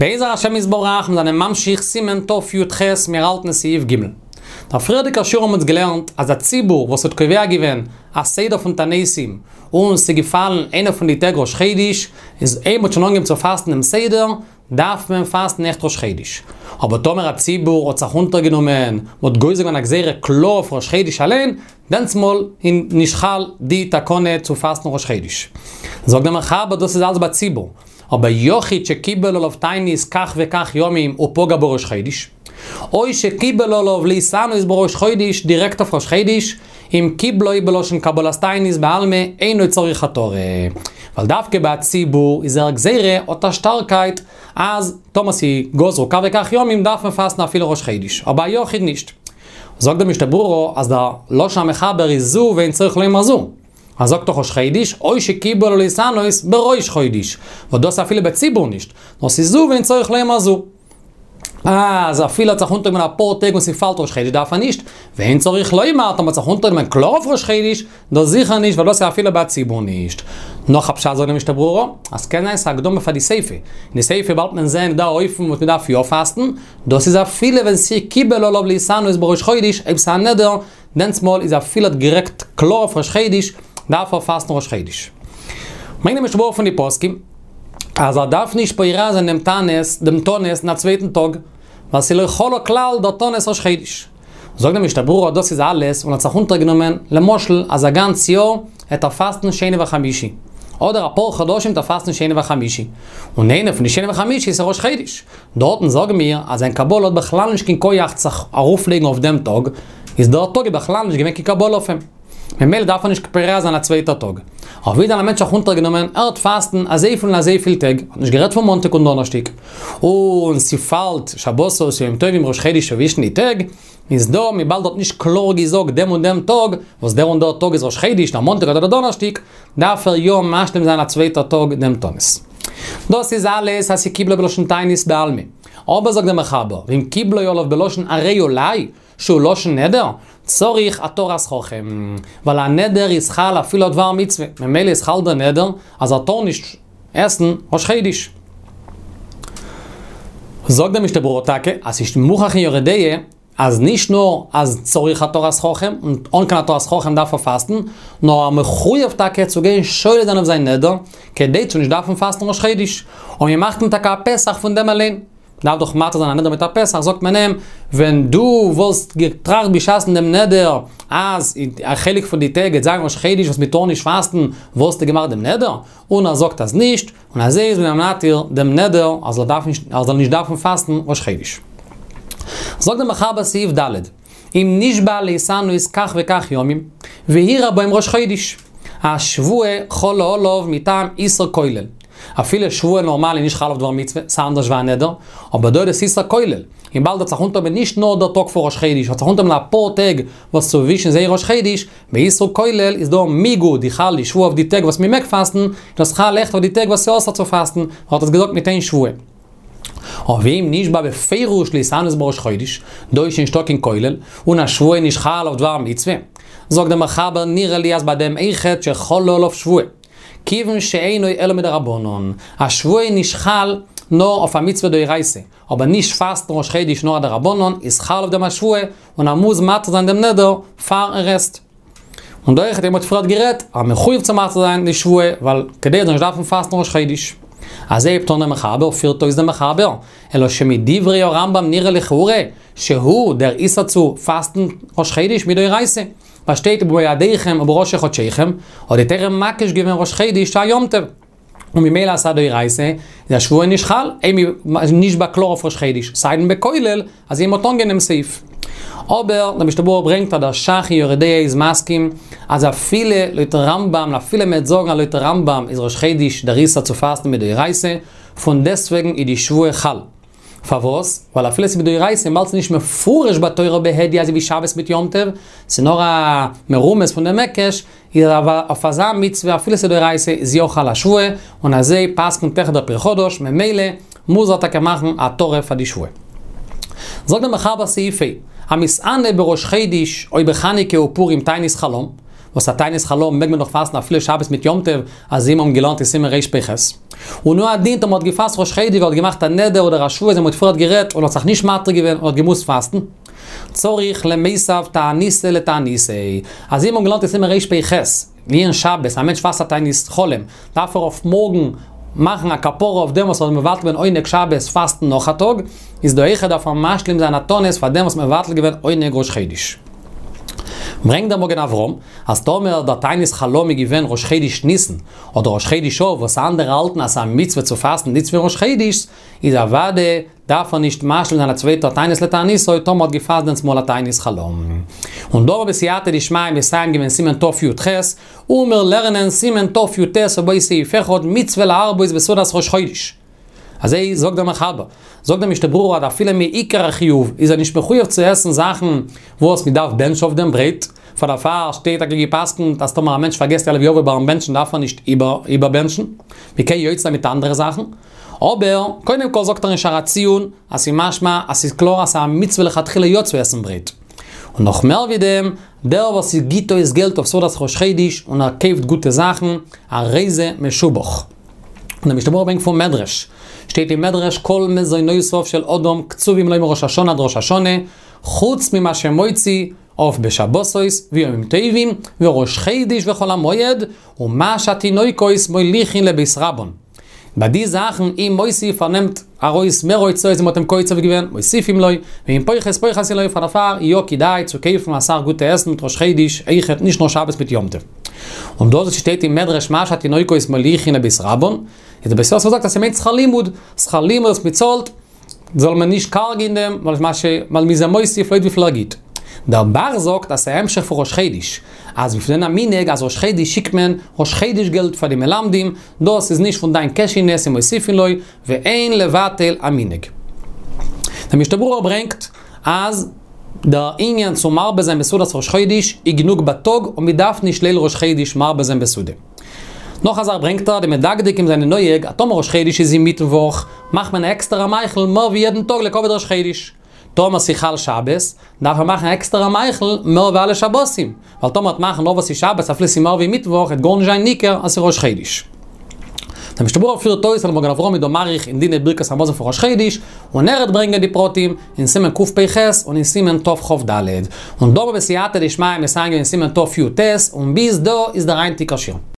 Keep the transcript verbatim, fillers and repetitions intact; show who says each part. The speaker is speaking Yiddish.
Speaker 1: בעזר השם יתברך, מיר זענען ממשיך סימן תי"ח, מיר האלטן סעיף ג'. דער פריערדיגער שיעור האבן אונז געלערנט אז א ציבור וואס האט קובע געווען א סדר פון תעניתים און ס'איז געפאלן איינע פון די טעג ראש חודש, איז אויב מ'האט שוין אנגעהויבן צו פאסטן דעם סדר, דארף מען פאסטן אויכעט ראש חודש. אבער טאמער א ציבור האט זיך אונטערגענומען, מ'האט גוזר געווען א גזירה קלאר אויף ראש חודש אליין, דענסמאל איז נישט חל די תקנה צו פאסטן ראש חודש. זאגט דער מחבר דאס איז אלץ ביי ציבור. אבער יחיד שקיבל עליו תענית כך וכך ימים ופגע בראש חודש, או שקיבל עליו להתענות בראש חודש דירעקט אויף ראש חודש, אם קיבלו בלשון קבלת תענית בעלמא אינו צריך התרה. ווייל דווקא ביי א ציבור איז דער גזירה האט א שטארקייט אז טאמער ס'איז גזרו כך וכך ימים דארף מען פאסטן אפילו ראש חודש, אבער א יחיד נישט. זאגט דער משנה ברורה אז דער לשון המחבר איז זו ואין צריך לומר זו. ער זאגט דאך ראש חודש, או שקיבל עליו להתענות בראש חודש, וואס דאס אפילו בציבור נישט, נאר ס'איז זו ואין צריך לומר זו. אז אפילו האט זיך אונטערגענומען אפאר טעג און ס'פאלט ראש חודש דארף ער נישט, ואין צריך לומר טאמער האט זיך אונטערגענומען קלאר אויף ראש חודש, דאס זיכער נישט ווייל דאס איז אפילו ביי ציבור נישט. נאך א פשט זאגט די משנה ברורה, אז ס'קען זיין ס'איז א הקדמה פאר די סיפא, אין די סיפא באלד מען זען דא אופן וואס מ'דארף יא פאסטן, דאס איז אפילו ווען ס'איז קיבל עליו להתענות בראש חודש, אויב ס'איז א נדר, דענסמאל איז אפילו האט גערעדט קלאר אויף ראש חודש, דארף ער פאסטן ראש חודש. ברענגט די משנה ברורה פון די פוסקים, אז ער דארף נישט פורע זיין דעם תענית, דעם תענית אין א צווייטן טאג, ווייל ס'איז לא חלה כלל דער תענית ראש חודש. זאגט די משנה ברורה דאס איז אלעס און האט זיך אונטערגענומען, למשל אז א גאנץ יאר העט ער פאסטן שני וחמישי, אדער אפאר חדשים העט ער פאסטן שני וחמישי, און איינע פון די שני וחמישי איז ראש חודש, דארטן זאגן מיר אז זיין קבלה האט בכלל נישט קיין כח זיך ארויפלייגן אויף דעם טאג, איז דער טאג איז בכלל נישט געווען קיין קבלה אויף אים. ממילא דארף ער נישט פורע זיין א צווייטע טאג. אבער ווי דען א מענטש האט זיך אונטערגענומען, ער וועט פאסטן אזויפיל און אזויפיל טעג, האט נישט גערעדט פון מאנטאג און דאנערשטאג, און ס'פאלט שבתות ימים טובים ראש חודש צווישן די טעג, איז דא וויבאלד ער האט נישט קלאר געזאגט דעם און דעם טאג, וואס דער און דער טאג איז ראש חודש, דער מאנטאג אדער דער דאנערשטאג, דארף ער יא משלים זיין א צווייטע טאג דעם תענית. דאס איז אלעס אז ס'קיבלו בלשון תענית בעלמא. אבער זאגט דער מחבר, ואם קיבלו עליו בלשון הרי עלי, שהוא לשון נדר, צריך התרת חכם, ווייל א נדר איז חל אפילו אויף דבר מצוה, ממילא איז חל דער נדר אז ער טאר נישט עסן ראש חודש. זאגט דער משנה ברורה טאקע אז ס'איז מוכח אין יורה דעה אז נישט נאר אז צריך התרת חכם, און אן קיין התרת חכם דארף ער פאסטן, נאר ער מחויב טאקע צו גיין שולל זיין אויף זיין נדר, כדי צו נישט דארפן פאסטן ראש חודש, און מ'מאכט אים טאקע א פתח פון דעם אליין. מ'דארף דאך מתיר זיין א נדר מיט א פתח, זאגט מען אים, ווען דו וואלסט געטראכט בשעת'ן דעם נדר אז א חלק פון די טעג גייט זיין ראש חודש וואס מ'טאר נישט פאסטן, וואלסטו געמאכט דעם נדר? און ער זאגט אז נישט, און אזוי איז מען אים מתיר דעם נדר אז ער דארף נישט, ער זאל נישט דארפן פאסטן ראש חודש. זאגט דער מחבר סעיף ד', אם נשבע להתענות כך וכך ימים, ואירע בהם ראש חודש, השבועה חלה עליו מטעם איסור כולל. אפילו שבועה נארמאל איז נישט חל אויף דבר מצוה, ס'איז אנדערש ווי א נדר, אבער דא איז עס איסור כולל. וויבאלד האט זיך אונטערגענומען נישט נאר דער טאג פון ראש חודש, האט זיך אונטערגענומען אפאר טעג וואס צווישן זיי ראש חודש, באיסור כולל איז דא מיגו די חל די שבועה אויף די טעג וואס מ'מעג פאסטן, איז דאס חל אויכעט אויף די טעג וואס ס'אסור צו פאסטן, האט עס געזאגט מיט איין שבועה. אבער ואם נשבע בפירוש להתענות בראש חודש, דא איז שוין נישטא קיין כולל, און א שבועה נישט חל אויף דבר מצוה. זאגט דער מחבר נראה לי אז ביי דעם אויכעט שחלה עליו שבועה. כיוון שאינו אלא מדרבנן, א שבועה איז נישט חל נאר אויף א מצוה דאורייתא, אבער נישט פאסטן ראש חודש נאר א דרבנן איז חל אויף דעם א שבועה, און ער מוז מתיר זיין דעם נדר פאר ער עסט. און דא אויכעט ווי מ'האט פריערט גערעדט, אז מחויב צו מתיר זיין די שבועה, ווייל כדי ער זאל נישט דארפן פאסטן ראש חודש. אזוי הייבט אן דער מחבר, פירט אויס דער מחבר, אלא שמדברי הרמב"ם נראה לכאורה, שהוא דער איסור צו פאסטן ראש חודש מדאורייתא, ווייל שטייט ובמועדיכם ובראשי חדשיכם, האט די תורה מקיש געווען ראש חודש צו א יום טוב. און ממילא אז ס'איז א דאורייתא, איז א שבועה נישט חל, אויב מ'איז נשבע קלאר אויף ראש חודש, סיידן בכולל, אז מ'האט אנגענומען סעיף. אבער, דער משנה ברורה ברענגט אז דער ש"ך אין יורה דעה איז מסכים, אז אפילו לויטן רמב"ם, אפילו מ'וועט זאגן אז לויטן רמב"ם איז ראש חודש דער איסור צו פאסטן מדאורייתא, פון דעסטוועגן איז די שבועה חל. פארוואס? ווייל אפילו ס'איז מדאורייתא וויבאלד ס'איז נישט מפורש בתורה בהדיא אזוי ווי שבת מיט יום טוב, ס'איז נאר א מרומז פון דעם היקש, איז אויף אזא מצוה אפילו ס'איז דאורייתא איז יא חל א שבועה, און אזוי פסק'נט אויך דער פרי חדש, ממילא מוז ער טאקע מאכן התרה פאר די שבועה. זאגט דער מחבר סעיף ה', המתענה בראש חודש או בחנוכה ופורים תענית חלום, וואס א תענית חלום מעג מען נאך פאסטן אפילו שבת מיט יום טוב, אז מיר האבן געלערנט אין סימן רפ"ח. און הוא הדין טאמער האט געפאסט ראש חודש, האט געמאכט א נדר אדער א שבועה, אז מ'האט פריער גערעדט און האט זיך נישט מתיר געווען און האט געמוזט פאסטן. צריך למיסב תעניתו לתעניתו. אז מיר האבן געלערנט אין סימן רפ"ח, לענין שבת, א מענטש פאסט א תענית חלום, דארף ער אויף מארגן מאכן א כפרה אויף דעם וואס ער האט מבטל געווען עונג שבת פאסטן נאך א טאג, איז דא אויכעט דארף ער משלים זיין א תענית פאר דעם וואס מבטל געווען עונג ראש חודש. ברענגט דער מגן אברהם, אז טאמער דער תענית חלום איז געווען ראש חודש ניסן, אדער ראש חודש אב, וואס אנדערע האלטן אז ס'איז א מצוה צו פאסטן נישט ווי ראש חודש, איז אוודאי דארף ער נישט משלים זיין א צווייטער תענית לתעניתו, טאמער האט געפאסט דענסטמאל א תענית חלום. און דא בסייעתא דשמיא מסיים געווען סימן תי"ח, און מיר לערנען סימן תי"ט ובו סעיף אחד מצוה להרבות בסעודת ראש חודש. אזוי זאגט דער מחבר, זאגט דער משנה ברורה אז אפילו מעיקר החיוב איז ער נישט מחויב צו עסן זאכן וואס מען דארף בענטשן אויף דעם ברויט, פאר דערפאר שטייט טאקע געפסקנט אז טאמער א מענטש פארגעסט יעלה ויבוא ביים בענטשן דארף ער נישט איבערבענטשן, מען קען יוצא זיין מיט אנדערע זאכן. אבער, קודם כל זאגט ער אין שער הציון, אז ס'איז משמע אז ס'איז קלאר אז ס'איז א מצוה לכתחילה יא צו עסן ברויט. און נאך מער ווי דעם, דער וואס גיט אויס געלט אויף סעודת ראש חודש און ער קויפט גוטע זאכן, הרי זה משובח. און דער משנה ברורה ברענגט פון מדרש, שטייט אין מדרש כל מזונותיו של אדם קצובים לו מראש השנה עד ראש השנה, חוץ ממה שמוציא אויף בשבתות וימים טובים וראש חודש וחול המועד, ומה שהתינוקות מוליכין לבית רבן. ביי די זאכן אם מוסיף ער נעמט ארויס מער הוצאות ווי מ'האט אים קוצב געווען, מוסיפים לו, ואם פוחת פוחתין לו, פאר דערפאר יא כדאי צו קויפן אסאך גוטע עסן מיט ראש חודש, אויכעט נישט נאר שבת מיט יום טוב. און דאס וואס שטייט אין מדרש מה שהתינוקות מוליכין לבית רבן, איז דער בית יוסף זאגט אז ס'מיינט שכר לימוד, שכר לימוד וואס מ'צאלט, זאל מען נישט קארג אין דעם, ווייל מה ש... ווייל מ'איז אים מוסיף לויט וויפיל ער גיט. דער ב"ח זאגט אז ס'איז א המשך פון ראש חודש, אז מיר פלעגן א מנהג אז ראש חודש שיקט מען ראש חודש געלט פאר די מלמדים, דאס איז נישט פון דיין קעשענע ס'איז מוסיפין לו, ואין לבטל המנהג. דער משנה ברורה ברענגט אז דער ענין צו מרבה זיין בסעודת ראש חודש איז גענוג בייטאג און מ'דארף נישט ליל ראש חודש מרבה זיין בסעודה. נאך א זאך ברענגט ער, די מדקדקים זענען נוהג אז טאמער ראש חודש איז אינמיטן וואך, מאכט מען א עקסטערע מאכל מער ווי יעדן טאג לכבוד ראש חודש. טאמער ס'איז חל שבת, דארף מען מאכן א עקסטערע מאכל מער ווי אלע שבתים, ווייל טאמער מ'וועט מאכן נאר וואס איז שבת אפילו ס'איז מער ווי מיטוואך וועט גארנישט זיין ניכר אז ס'איז ראש חודש. דער משנה ברורה פירט אויס אז דער מגן אברהם איז דא מאריך אין דיני ברכת המזון פון ראש חודש, און ער וועט ברענגען די פרטים אין סימן קפ"ח און אין סימן תכ"ד. און דא בסייעתא דשמיא מסיים געווען סימן תי"ט, און ביז דא איז דער היינטיגער שיעור.